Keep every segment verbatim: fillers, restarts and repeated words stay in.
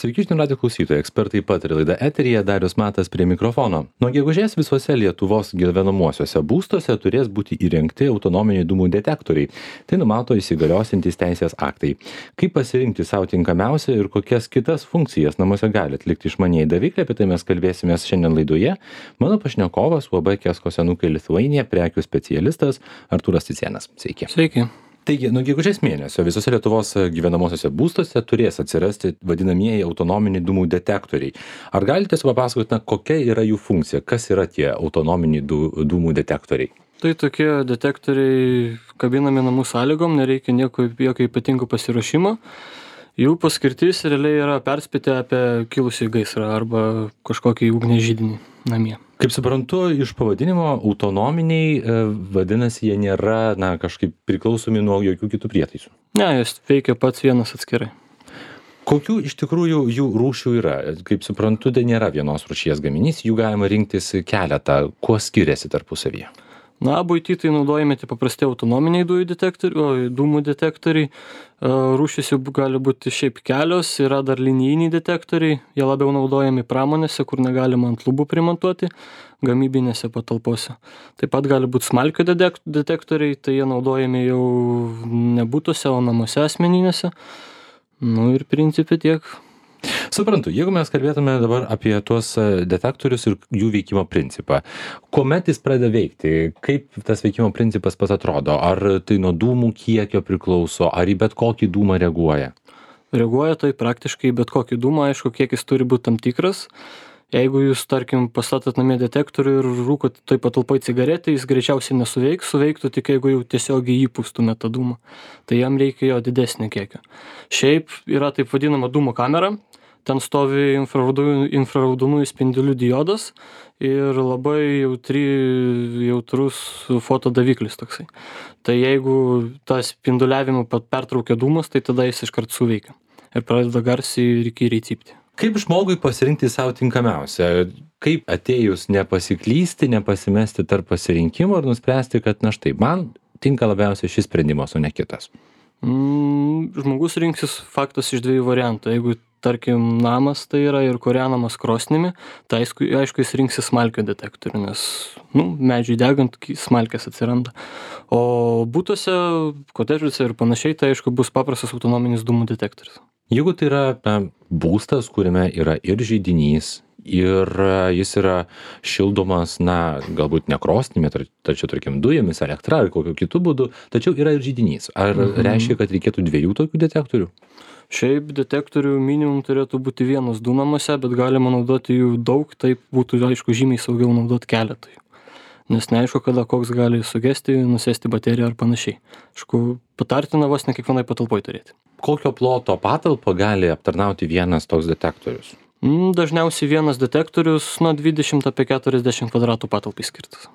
Sveiki, žinių radijo klausytojai, ekspertai pataria laida eteryje, Darius Matas prie mikrofono. Nuo gegužės visuose Lietuvos gyvenamuosiuose būstuose turės būti įrengti autonominiai dūmų detektoriai. Tai numato įsigaliosiantys teisės aktai. Kaip pasirinkti savo tinkamiausią ir kokias kitas funkcijas namuose gali atlikti išmanieji davikliai, apie tai mes kalbėsime šiandien laidoje. Mano pašnekovas U A B Kesko senukai Lithuania prekių specialistas Artūras Cicėnas. Sveiki. Sveiki. Taigi, nuo gegužės mėnesio visose Lietuvos gyvenamosiose būstuose turės atsirasti vadinamieji autonominiai dūmų detektoriai. Ar galite papasakoti, na, kokia yra jų funkcija, kas yra tie autonominiai dūmų detektoriai? Tai tokie detektoriai kabinami namų sąlygom, nereikia nieko jokio ypatingo pasiruošimo. Jų paskirtis realiai yra perspėti apie kilusį gaisrą arba kažkokį ugnies židinį namie. Kaip suprantu, iš pavadinimo autonominiai, vadinasi, jie nėra, na, kažkaip priklausomi nuo jokių kitų prietaisų. Ne, jis veikia pats vienas atskirai. Kokių iš tikrųjų jų rūšių yra? Kaip suprantu, tai nėra vienos rūšies gaminys, jų galima rinktis keletą. Kuo skiriasi tarpusavyje? Na, buity tai naudojami tai paprasti autonominiai dujų detektoriai, o dūmų detektoriai. Rūšys jų gali būti šiaip kelios, yra dar linijiniai detektoriai, jie labiau naudojami pramonėse, kur negalima ant lubų primontuoti, gamybinėse patalpose. Taip pat gali būti smalkių detektoriai, tai jie naudojami jau ne butuose, o namuose asmeninėse. Nu ir principe tiek. Suprantu, jeigu mes kalbėtume dabar apie tuos detektorius ir jų veikimo principą, kuomet jis pradeda veikti, kaip tas veikimo principas pats atrodo, ar tai nuo dūmų kiekio priklauso, ar į bet kokį dūmą reaguoja? Reaguoja tai praktiškai bet kokį dūmą, aišku, kiekis turi būti tam tikras. Jeigu jūs, tarkim, pastatot namie detektorių ir rūkot toj patalpoj cigaretę, jis greičiausiai nesuveiks, suveiktų tik jeigu jau tiesiogiai įpūstumėt tą dūmą. Tai jam reikia jo didesnio kiekio. Šiaip yra taip vadinama dūmų kamera. Ten stovi infraraudonųjų spindulių diodas ir labai jautri, jautrus fotodaviklis toksai. Tai jeigu tą spinduliavimą pertraukia dūmas, tai tada jis iškart suveikia ir pradeda garsiai ir įkyriai cypti. Kaip žmogui pasirinkti savo tinkamiausią? Kaip atėjus nepasiklysti, nepasimesti tarp pasirinkimo ir nuspręsti, kad na štai, man tinka labiausiai šis sprendimas, o ne kitas? Mm, žmogus rinksis faktas iš dviejų variantų. Jeigu tarkim, namas tai yra ir kūrenamas krosnimi, tai aišku, aišku jis rinksis smalkio detektorių, nes nu, medžiui degant smalkės atsiranda. O butuose, kotedžuose ir panašiai, tai aišku bus paprastas autonominis dūmų detektorius. Jeigu tai yra na, būstas, kuriame yra ir židinys, ir jis yra šildomas, na, galbūt ne krosnimi, tačiau, tarkim, dujomis, elektra ar kokiu kitų būdu, tačiau yra ir židinys. Ar mhm. reiškia, kad reikėtų dviejų tokių detektorių? Šiaip detektorių minimum turėtų būti vienas du namuose, bet galima naudoti jų daug, taip būtų, aišku, žymiai saugiau naudoti keletą. Nes neaišku, kada koks gali sugesti, nusėsti bateriją ar panašiai. Aišku, patartina vos ne kiekvienai patalpoj turėti. Kokio ploto patalpą gali aptarnauti vienas toks detektorius? Dažniausiai vienas detektorius nuo dvidešimt apie keturiasdešimt kvadratų patalpai skirtas.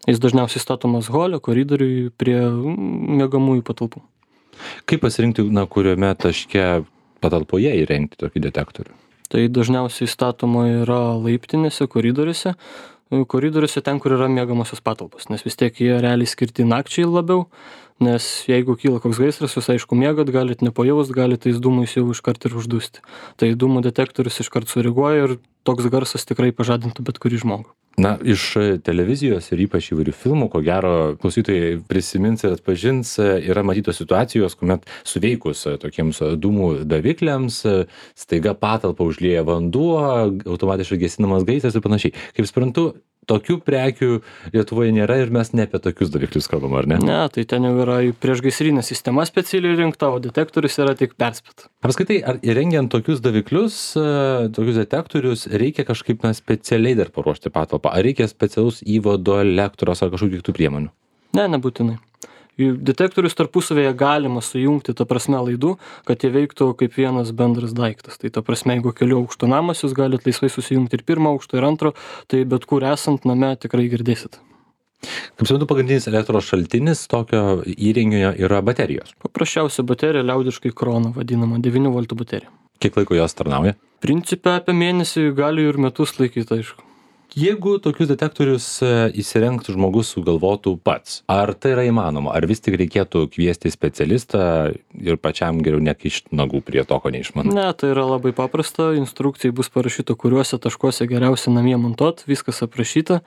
Jis dažniausiai statomas hole, koridoriui prie miegamųjų patalpų. Kaip pasirinkti, na, kuriame taške patalpoje įrengti tokį detektorių? Tai dažniausiai statoma yra laiptinėse, koridoriuose. Koridoriuose ten, kur yra miegamosios patalpos, nes vis tiek jie realiai skirti nakčiai labiau, nes jeigu kyla koks gaisras, jūs aišku miegat, galit nepajaust, galit tais dūmais jau iškart ir uždusti. Tai dūmų detektorius iškart sureaguoja ir toks garsas tikrai pažadintų bet kurį žmogų. Na, iš televizijos ir ypač įvairių filmų, ko gero, klausytojai prisimins ir atpažins, yra matytos situacijos, kuomet suveikus tokiems dūmų davikliams, staiga patalpą užlieja vanduo, automatiškai gesinamas gaisras ir panašiai. Kaip suprantu, tokių prekių Lietuvoje nėra ir mes ne apie tokius daviklius kalbam, ar ne? Ne, tai ten jau yra priešgaisrinė sistema specialiai rinkta, o detektorius yra tik perspėta. Apskritai, ar įrengiant tokius daviklius, tokius detektorius, reikia kažkaip na, specialiai dar paruošti patalpą? Ar reikia specialus įvado, elektros ar kažkokių kitų priemonių? Ne, nebūtinai. Detektorius tarpusavėje galima sujungti, ta prasme, laidų, kad jie veiktų kaip vienas bendras daiktas. Tai ta prasme, jeigu kelių aukštų namas, jūs galite laisvai susijungti ir pirmą aukštą, ir antro, tai bet kur esant name tikrai girdėsit. Kaip suprantu, pagrindinis elektros šaltinis tokio įrenginio yra baterijos. Paprasčiausia baterija, liaudiškai krona vadinama, devynių voltų baterija. Kiek laiko jos tarnauja? Principe apie mėnesį gali ir metus laikyti, aišku. Jeigu tokius detektorius įsirengtų žmogus sugalvotų pats, ar tai yra įmanoma, ar vis tik reikėtų kviesti specialistą ir pačiam geriau nekišti nagų prie to, ko neišmanau? Ne, tai yra labai paprasta, instrukcijai bus parašyta, kuriuose taškuose geriausia namie montuot, viskas aprašyta.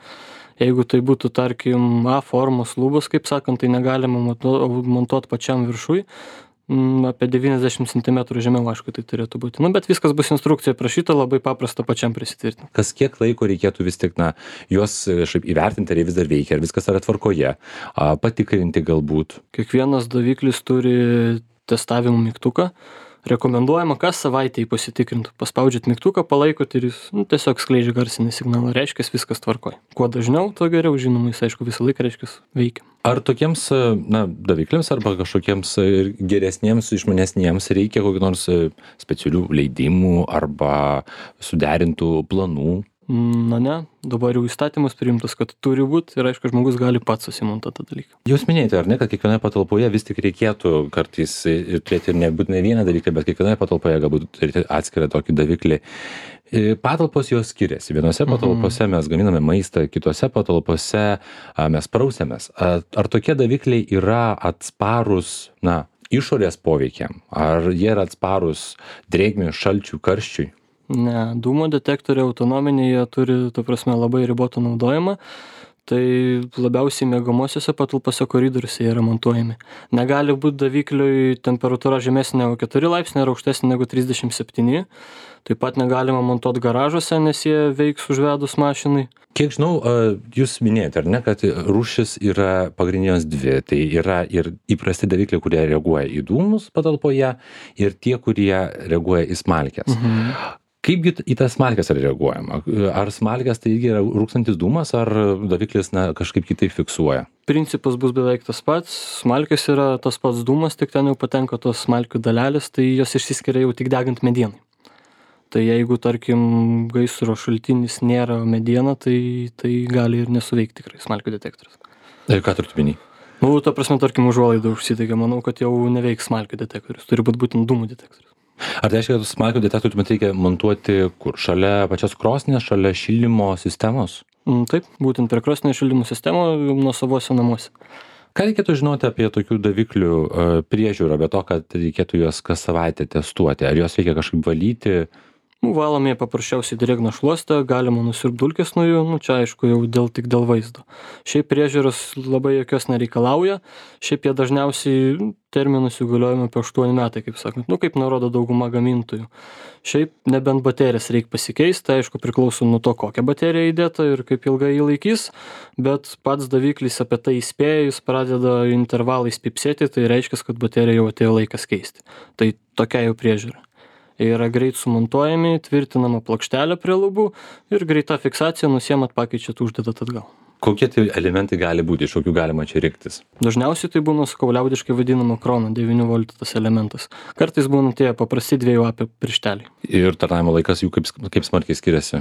Jeigu tai būtų, tarkim, A formos lubos, kaip sakant, tai negalima montuot pačiam viršui. Apie devyniasdešimt centimetrų žemiau, aišku, tai turėtų būti. Nu, bet viskas bus instrukcija prašyta, labai paprasta pačiam prisitvirtinti. Kas kiek laiko reikėtų vis tik, na, juos šiaip įvertinti, ar jie vis dar veikia, ar viskas yra tvarkoje, a, patikrinti galbūt? Kiekvienas daviklis turi testavimo mygtuką. Rekomenduojama kas savaitę jį pasitikrinti. Paspaudžiat mygtuką, palaikot ir jis nu, tiesiog skleidžia garsinį signalą. Reiškia, viskas tvarkoj. Kuo dažniau, tuo geriau, žinoma, jis aišku visą laiką reiškia veikia. Ar tokiems, na, davikliams arba kažkokiems geresniems, išmanesniems reikia kokių nors specialių leidimų arba suderintų planų? Na ne, dabar jau įstatymas priimtas, kad turi būti ir aišku, žmogus gali pats susimontuoti tą dalyką. Jūs minėjote, ar ne, kad kiekvienoje patalpoje vis tik reikėtų kartais ir turėti ir nebūtinai vieną dalyką, bet kiekvienoje patalpoje galbūt turėti atskirą tokį daviklį. Patalpos jos skiriasi. Vienose patalpose mes gaminame maistą, kitose patalpose mes prausiamės. Ar tokie davikliai yra atsparūs, na, išorės poveikiam? Ar jie yra atsparūs drėgmei, šalčiui, karščiui? Ne, dūmo detektoriai autonominiai, jie turi, ta prasme, labai ribotą naudojimą. Tai labiausiai miegamosiose patalpose koridoriuose yra montuojami. Negali būti davikliui temperatūra žemesnė negu keturi laipsniai ir aukštesnė negu trisdešimt septyni. Taip pat negalima montuoti garažuose, nes jie veiks užvedus mašinai. Kiek žinau, jūs minėjote, ar ne, kad rūšis yra pagrindinės dvi. Tai yra ir įprasti davikliai, kurie reaguoja į dūmus patalpoje, ir tie, kurie reaguoja į smalkes. Mhm. Kaipgi į tas smalkes yra reaguojama? Ar smalkes tai irgi yra rūkstantis dūmas, ar daviklis na, kažkaip kitaip fiksuoja? Principas bus beveik tas pats. Smalkės yra tas pats dūmas, tik ten jau patenka tos smalkių dalelės, tai jos išsiskiria jau tik degant medienai. Tai jeigu, tarkim, gaisro šaltinis nėra mediena, tai, tai gali ir nesuveikti tikrai smalkių detektorius. Ir ką turite minį? Nu, ta prasme, tarkim, užuolaida užsidegė, manau, kad jau neveiks smalkių detektorius. Turi būti būtent dūmų detektorius. Ar tai reiškia, kad smalkių detektorių tuomet reikia montuoti kur? Šalia pačios krosnės, šalia šildymo sistemos? Mm, taip, būtent prie krosnės šildymo sistemo nuosavose namuose. Ką reikėtų žinoti apie tokių daviklių uh, priežiūrą, be to, kad reikėtų juos kas savaitę testuoti? Ar juos reikia kažkaip valyti? Nu, valome paprasčiausiai drėgną šluostę, galima nusirpt dulkes nuo jų, nu, čia aišku jau dėl, tik dėl vaizdo. Šiaip priežiūros labai jokios nereikalauja, šiaip jie dažniausiai terminus jų galiojame apie aštuoni metai, kaip sakant, nu, kaip nurodo dauguma gamintojų. Šiaip nebent baterijas reikia pasikeisti, tai aišku priklauso nuo to, kokią bateriją įdėta ir kaip ilgai jį laikys, bet pats daviklis apie tai įspėja, jis pradeda intervalais pipsėti, tai reiškia, kad baterija jau atėjo laikas keisti. Tai tokia jau priežiūra. Yra greit sumontuojami, tvirtinama plokštelė prie lubų ir greita fiksacija, nusiemat, pakeičiat, uždedat atgal. Kokie tai elementai gali būti, iš kokių galima čia rinktis? Dažniausiai tai būna, sakau, liaudiškai vadinama krona, devynių voltų tas elementas. Kartais būna tie paprasti dviejų apie piršteliai. Ir tarnavimo laikas jų kaip, kaip smarkiai skiriasi?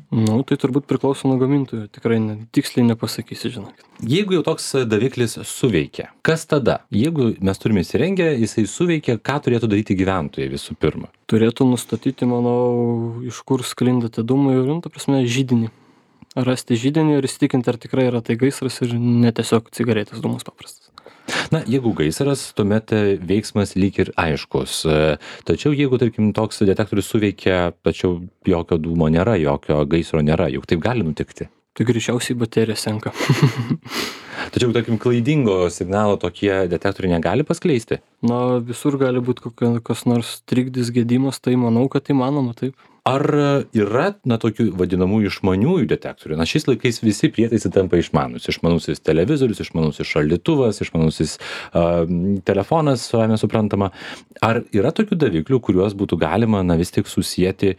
Nu, tai turbūt priklauso nuo gamintojų, tikrai ne, tiksliai nepasakysi, žinokit. Jeigu jau toks daviklis suveikia, kas tada? Jeigu mes turime įsirengę, jisai suveikia, ką turėtų daryti gyventojai visų pirma? Turėtų nustatyti, manau, iš kur sklinda tie dūmai ir, nu, ta prasme, židinį. Rasti židinį ir įsitikinti, ar tikrai yra tai gaisras ir ne tiesiog cigaretės dūmus paprastas. Na, jeigu gaisras, tuomet veiksmas lyg ir aiškus. Tačiau jeigu, tarkim, toks detektorius suveikia, tačiau jokio dūmo nėra, jokio gaisro nėra, juk taip gali nutikti. Tai greičiausiai baterija senka. Tačiau, tarkim, klaidingo signalo tokie detektoriai negali paskleisti? Na, visur gali būti kokios nors trikdis, gedimas, tai manau, kad įmanoma taip. Ar yra, na, tokių vadinamųjų išmaniųjų detektorių? Na, šiais laikais visi prietaisai tampa išmanus. Išmanusis televizorius, išmanusis šaldytuvas, išmanusis uh, telefonas, savame suprantama. Ar yra tokių daviklių, kuriuos būtų galima, na, vis tik susijęti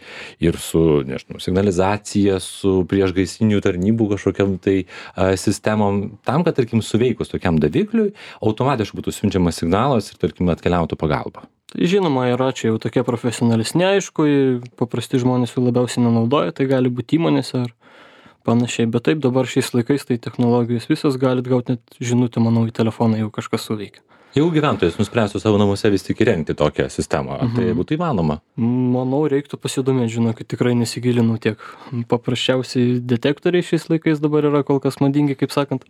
ir su, nežinau, signalizacija, su priešgaisrinių tarnybų kažkokiam tai uh, sistemom, tam, kad, tarkim, suveikus tokiam davikliui, automatiškai būtų siunčiamas signalas ir, tarkim, atkeliautų pagalba? Tai žinoma, yra čia jau tokie profesionalesni, aišku, paprasti žmonės jų labiausiai nenaudoja, tai gali būti įmonėse ar panašiai, bet taip dabar šiais laikais tai technologijos visos galit gauti net žinutę, manau, į telefoną jau kažkas suveikia. Jeigu gyventojas nuspręstų savo namuose vis tik įrengti tokią sistemą, mhm. tai būtų įmanoma? Manau, reiktų pasidomėti, žinokit, tikrai nesigilinau tiek. Paprasčiausiai detektoriai šiais laikais dabar yra kol kas madingi, kaip sakant,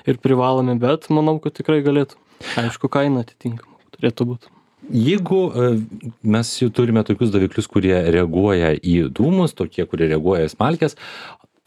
ir privalomi, bet manau, kad tikrai galėtų. Aišku, kaina atitinkama turėtų būti. Jeigu mes jau turime tokius daviklius, kurie reaguoja į dūmus, tokie, kurie reaguoja į smalkes,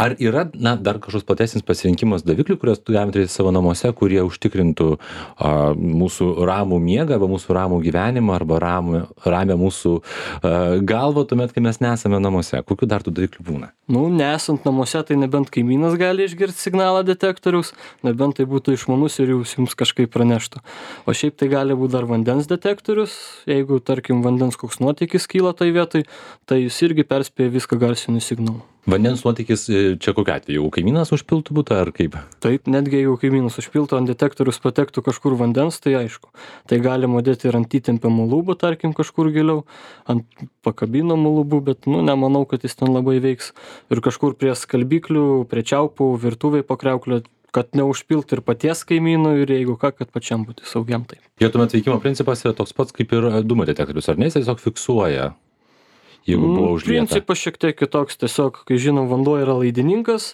ar yra, na, dar kažkoks platesnis pasirinkimas daviklių, kuriuos galime turėti savo namuose, kurie užtikrintų a, mūsų ramų miegą, arba mūsų ramų gyvenimą, arba ramę, ramę mūsų a, galvą, tuomet, kai mes nesame namuose? Kokių dar tų daviklių būna? Nu, nesant namuose, tai nebent kaimynas gali išgirsti signalą detektoriaus, nebent tai būtų išmanus ir jūs jums kažkaip praneštų. O šiaip tai gali būti dar vandens detektorius, jeigu, tarkim, vandens koks nuotėkis kyla tai vietoj, tai jis irgi perspėja viską garsiniu signalu. Vandens nuotėkis čia kokiu atveju? Jeigu kaimynas užpiltų butą ar kaip? Taip, netgi jeigu kaimynas užpiltų, ant detektorius patektų kažkur vandens, tai aišku. Tai galima dėti ir ant įtempiamų lubų, tarkim, kažkur giliau, ant pakabinamų lubų, bet, nu, nemanau, kad jis ten labai veiks. Ir kažkur prie skalbiklių, prie čiaupų, virtuvėj po kriauklę, kad neužpilt ir paties kaimynų, ir jeigu ką, kad pačiam būti saugiam taip. Jo tuomet veikimo principas yra toks pats kaip ir dūmų detektorius, ar ne? Jis tiesiog fiksuoja, jeigu buvo užlieta. Principas šiek tiek kitoks, tiesiog, kai žinom, vanduo yra laidininkas,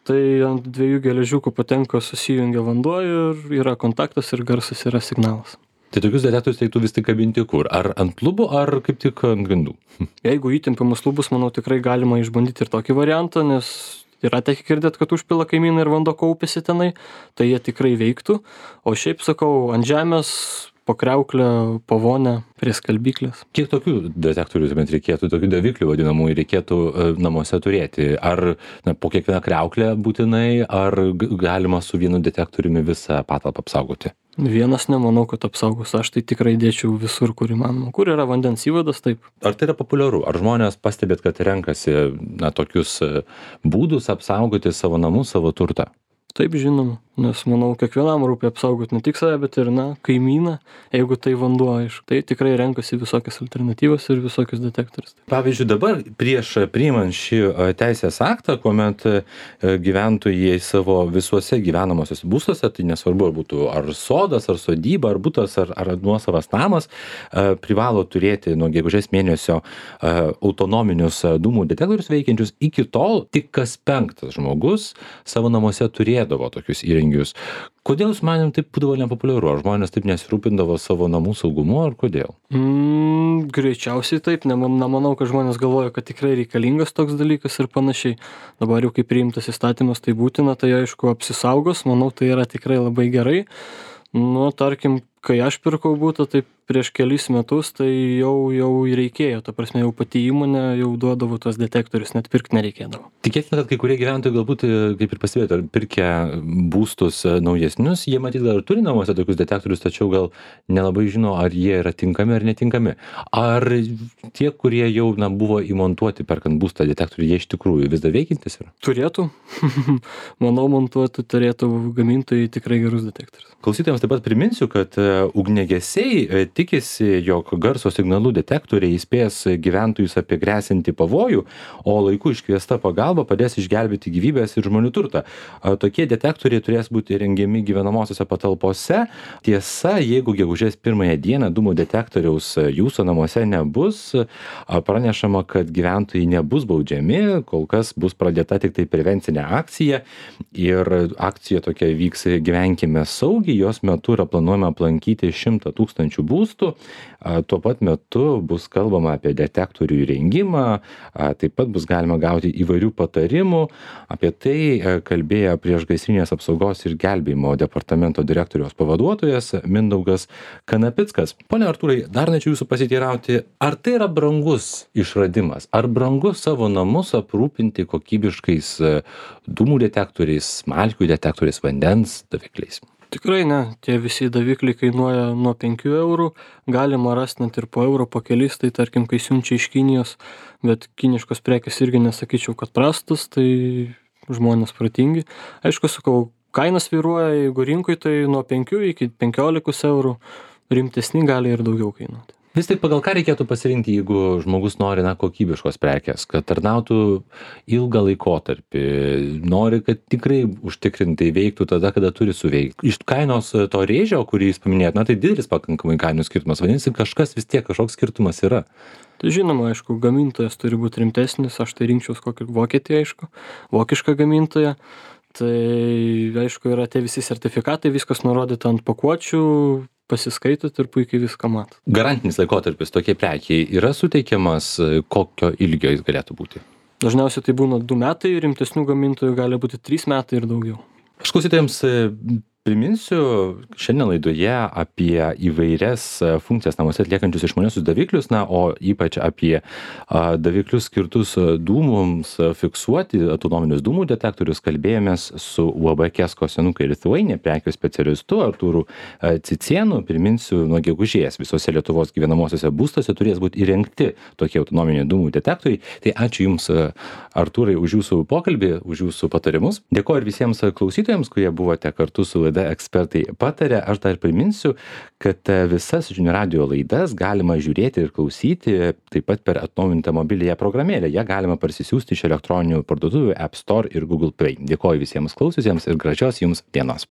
tai ant dviejų geležiukų patenka, susijungia vanduo ir yra kontaktas ir garsas yra signalas. Tai tokius detektorius reiktų vis tik kabinti kur? Ar ant lubų, ar kaip tik ant grindų? Jeigu įtempiamus lubus, manau, tikrai galima išbandyti ir tokį variantą, nes yra tekę girdėt, kad užpila kaimynai ir vanduo kaupiasi tenai, tai jie tikrai veiktų. O šiaip, sakau, ant žemės, po kriauklę, po vonę, prie skalbyklės. Kiek tokių detektorių tuomet reikėtų, tokių daviklių vadinamų reikėtų e, namuose turėti? Ar na, po kiekvieną kriauklę būtinai, ar galima su vienu detektoriumi visą patalpą apsaugoti? Vienas nemanau, kad apsaugos. Aš tai tikrai dėčiau visur, kur įmanoma. Kur yra vandens įvadas, taip. Ar tai yra populiaru? Ar žmonės pastebėt, kad renkasi na, tokius būdus apsaugoti savo namus, savo turtą? Taip, žinoma, nes manau, kiekvienam rūpi apsaugoti ne tik save, bet ir, na, kaimyną, jeigu tai vanduo, aišku. Tai tikrai renkasi visokias alternatyvas ir visokius detektorius. Pavyzdžiui, dabar prieš priimant šį teisės aktą, kuomet gyventojai savo visuose gyvenamosios būstuose, tai nesvarbu, ar būtų ar sodas, ar sodyba, ar butas, ar, ar nuosavas namas, privalo turėti nuo gegužės mėnesio autonominius dūmų detektorius veikiančius. Iki tol tik kas penktas žmogus savo namuose turėjo tokius įrengius. Kodėl jūs manim taip būdavo nepopuliaru? Ar žmonės taip nesirūpindavo savo namų saugumu, ar kodėl? Mm, greičiausiai taip. Nemanau, kad žmonės galvoja, kad tikrai reikalingas toks dalykas ir panašiai. Dabar jau kaip priimtas įstatymas, tai būtina, tai aišku apsisaugos. Manau, tai yra tikrai labai gerai. Nu, tarkim, kai aš pirkau butą, tai prieš kelis metus, tai jau, jau reikėjo, ta prasme, jau pati įmonė jau duodavo tos detektorius, net pirkti nereikėdavo. Tikėtina, kad kai kurie gyventojai galbūt, kaip ir pastebėjote, pirkę būstus naujesnius, jie matyt gal ir turi namuose tokius detektorius, tačiau gal nelabai žino, ar jie yra tinkami ar netinkami. Ar tie, kurie jau na, buvo įmontuoti perkant būstą detektorių, jie iš tikrųjų vis dar veikiantis yra? Turėtų. Manau, montuoti turėtų gamintojai tikrai gerus detektorius. Klausytojams taip pat priminsiu, kad ugniagesiai tikisi, jog garso signalų detektoriai įspės gyventojus apie gresiantį pavojų, o laiku iškviesta pagalba padės išgelbėti gyvybės ir žmonių turtą. Tokie detektoriai turės būti rengiami gyvenamosiose patalpose. Tiesa, jeigu gegužės pirmąją dieną dūmų detektoriaus jūsų namuose nebus, pranešama, kad gyventojai nebus baudžiami, kol kas bus pradėta tik tai prevencinė akcija ir akcija tokia vyks Gyvenkime saugiai. Jos metu yra planuojama aplankyti šimtą tūkstančių būstų. Tuo pat metu bus kalbama apie detektorių įrengimą, taip pat bus galima gauti įvairių patarimų. Apie tai kalbėjo priešgaisrinės apsaugos ir gelbėjimo departamento direktoriaus pavaduotojas Mindaugas Kanapickas. Pone Artūrai, dar norėčiau jūsų pasiteirauti, ar tai yra brangus išradimas? Ar brangu savo namus aprūpinti kokybiškais dūmų detektoriais, smalkių detektoriais, vandens davikliais? Tikrai ne, tie visi davikliai kainuoja nuo penkių eurų, galima rasti net ir po eurą, po kelis, tai tarkim, kai siunčia iš Kinijos, bet kiniškos prekės irgi nesakyčiau, kad prastus, tai žmonės protingi. Aišku, sakau, kainas vyruoja, jeigu rinkui, tai nuo penkių iki penkiolikos eurų, rimtesni gali ir daugiau kainuoti. Vis tik pagal ką reikėtų pasirinkti, jeigu žmogus nori na, kokybiškos prekės, kad tarnautų ilgą laikotarpį, nori, kad tikrai užtikrintai veiktų tada, kada turi suveikti. Iš kainos to rėžio, kurį jūs paminėjot, na tai didelis pakankamai kainų skirtumas, vadinasi, kažkas vis tiek, kažkoks skirtumas yra. Tai žinoma, aišku, gamintojas turi būti rimtesnis, aš tai rinkčiaus kokį Vokietiją, aišku, vokišką gamintoją. Tai aišku, yra tie visi sertifikatai, viskas nurodyta ant pakuočių, pasiskaitot ir puikiai viską matot. Garantinis laikotarpis tokiai prekiai yra suteikiamas, kokio ilgio jis galėtų būti? Dažniausiai tai būna du metai, rimtesnių gamintojų gali būti trys metai ir daugiau. Aš klausytojams priminsiu šiandien laidoje apie įvairias funkcijas namuose atliekančius išmaniuosius daviklius, na, o ypač apie a, daviklius skirtus dūmums fiksuoti, autonominius dūmų detektorius, kalbėjomės su U A B Kesko senukai Lithuania prekių specialistu Artūru Cicėnu. Priminsiu, nuo gegužės visose Lietuvos gyvenamosiose būstuose turės būti įrengti tokie autonominiai dūmų detektoriai. Tai ačiū Jums, Artūrai, už Jūsų pokalbį, už Jūsų patarimus. Dėkoju ir visiems klausytojams, kurie buvote kartu su laida Ekspertai pataria. Aš dar priminsiu, kad visas Žinių radijo laidas galima žiūrėti ir klausyti taip pat per atnaujintą mobiliąją programėlę. Ją galima parsisiųsti iš elektroninių parduotuvių App Store ir Google Play. Dėkoju visiems klausiusiems ir gražios Jums dienos.